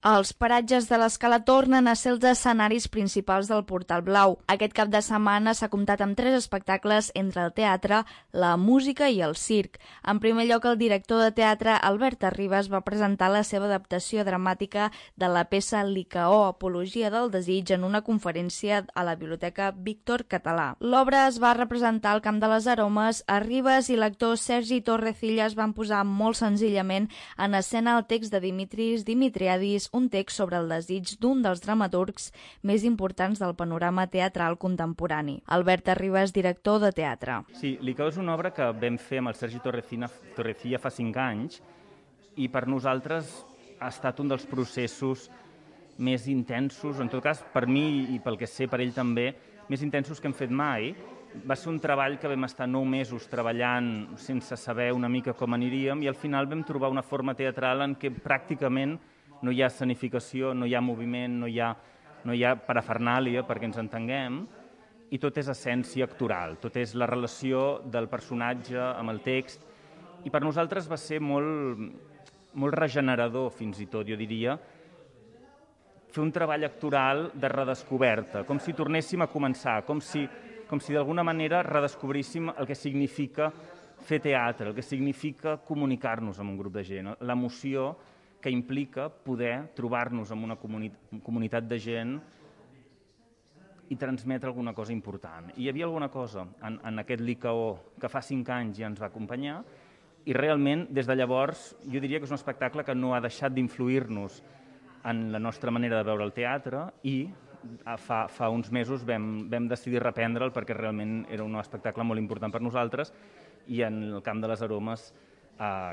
Els paratges de l'Escala tornen a ser els escenaris principals del Portal Blau. Aquest cap de setmana s'ha comptat amb 3 espectacles entre el teatre, la música i el circ. En primer lloc, el director de teatre, Albert Arribas, va presentar la seva adaptació dramàtica de la peça Licaó, Apologia del desig, en una conferència a la Biblioteca Víctor Català. L'obra es va representar al Camp de les Aromes. Arribas i l'actor Sergi Torrecillas van posar molt senzillament en escena el text de Dimitris Dimitriadis, un text sobre el desig d'un dels dramaturgs més importants del panorama teatral contemporani. Albert Arribas, director de teatre. Sí, Licaó és una obra que vam fer amb el Sergi Torrecilla fa 5 anys i per nosaltres ha estat un dels processos més intensos, en tot cas per mi i pel que sé per ell també, més intensos que hem fet mai. Va ser un treball que vam estar 9 mesos treballant sense saber una mica com aniríem i al final vam trobar una forma teatral en què pràcticament no hi ha escenificació, no hi ha moviment, no hi ha parafernàlia perquè ens entenguem, i tot és essència actoral, tot és la relació del personatge amb el text, i per nosaltres va ser molt regenerador, fins i tot, jo diria, fer un treball actoral de redescoberta, com si tornéssim a començar, com si d'alguna manera redescobríssim el que significa fer teatre, el que significa comunicar-nos amb un grup de gent, l'emoció que implica poder trobar-nos amb una comunitat de gent i transmetre alguna cosa important. I hi havia alguna cosa en aquest Licaó que fa 5 anys ja ens va acompanyar i realment des de llavors jo diria que és un espectacle que no ha deixat d'influir-nos en la nostra manera de veure el teatre i fa uns mesos vam decidir reprendre'l perquè realment era un espectacle molt important per nosaltres i en el Camp de les Aromes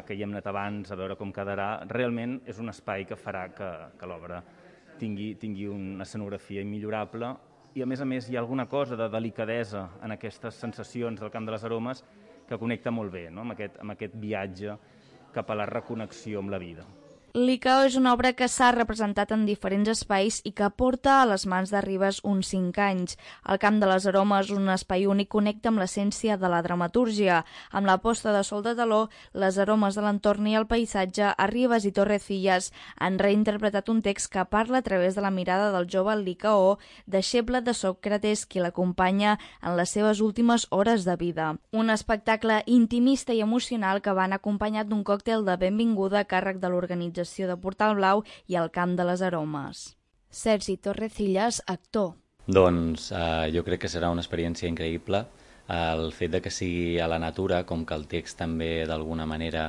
que hi hem anat abans a veure com quedarà, realment és un espai que farà que l'obra tingui una escenografia immillorable i a més hi ha alguna cosa de delicadesa en aquestes sensacions del Camp de les Aromes que connecta molt bé, no? amb aquest viatge cap a la reconnexió amb la vida. Licaó és una obra que s'ha representat en diferents espais i que porta a les mans d'Arribas uns 5 anys. El Camp de les Aromes, un espai únic, connecta amb l'essència de la dramatúrgia. Amb la posta de sol de taló, les aromes de l'entorn i el paisatge, Arribas i Torrecillas han reinterpretat un text que parla a través de la mirada del jove Licaó, deixeble de Sòcrates, qui l'acompanya en les seves últimes hores de vida. Un espectacle intimista i emocional que van acompanyat d'un còctel de benvinguda a càrrec de l'organització de Portal Blau i el Camp de les Aromes. Sergi Torrecillas, actor. Doncs jo crec que serà una experiència increïble. El fet de que sigui a la natura, com que el text també d'alguna manera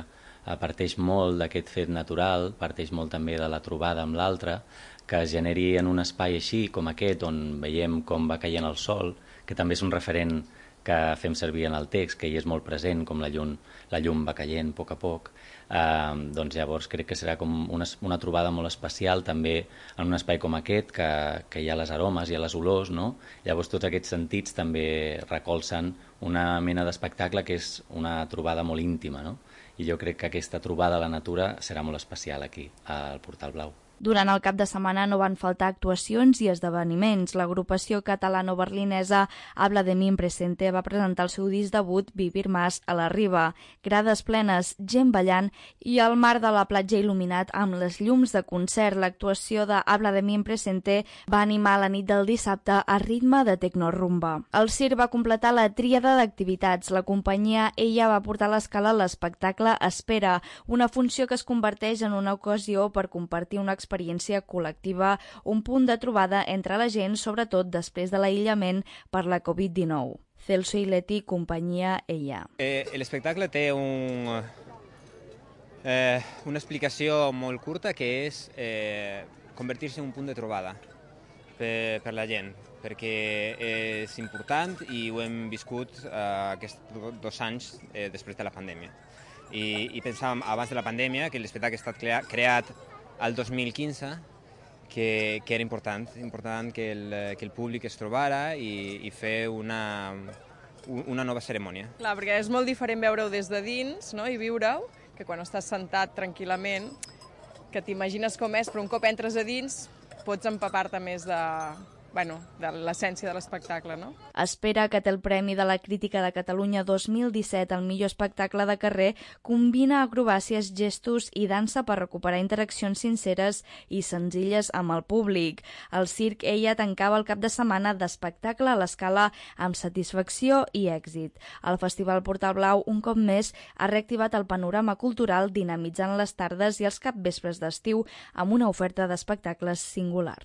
parteix molt d'aquest fet natural, parteix molt també de la trobada amb l'altre, que es generi en un espai així com aquest, on veiem com va caient el sol, que també és un referent que fem servir en el text, que hi és molt present, com la llum va caient a poc, doncs llavors crec que serà com una trobada molt especial també en un espai com aquest, que hi ha les aromes, hi ha les olors, no? Llavors tots aquests sentits també recolzen una mena d'espectacle que és una trobada molt íntima, no? I jo crec que aquesta trobada a la natura serà molt especial aquí, al Portal Blau. Durant el cap de setmana no van faltar actuacions i esdeveniments. L'agrupació catalano-berlinesa Habla de mi en presente va presentar el seu disc debut Vivir más a la Riba. Grades plenes, gent ballant i el mar de la platja il·luminat amb les llums de concert. L'actuació de Habla de mi en presente va animar la nit del dissabte a ritme de tecnorumba. El circ va completar la tríada d'activitats. La companyia Ella va portar a l'escala l'espectacle Espera, una funció que es converteix en una ocasió per compartir una experiència col·lectiva, un punt de trobada entre la gent, sobretot després de l'aïllament per la Covid-19. Celso i Leti, companyia Ella. L'espectacle té una explicació molt curta que és convertir-se en un punt de trobada per la gent, perquè és important i ho hem viscut aquests 2 anys després de la pandèmia. I pensàvem abans de la pandèmia que l'espectacle ha estat creat al 2015, que era important que el públic es trobara i fer una nova cerimònia. Clar, perquè és molt diferent veure-ho des de dins, no?, i viure-ho, que quan estàs sentat tranquil·lament, que t'imagines com és, però un cop entres a dins pots empapar-te més de l'essència de l'espectacle, no? Espera que té el Premi de la Crítica de Catalunya 2017 al millor espectacle de carrer combina acrobàcies, gestos i dansa per recuperar interaccions sinceres i senzilles amb el públic. El Circ Ella tancava el cap de setmana d'espectacle a l'Escala amb satisfacció i èxit. El Festival Portal Blau, un cop més, ha reactivat el panorama cultural dinamitzant les tardes i els capvespres d'estiu amb una oferta d'espectacles singular.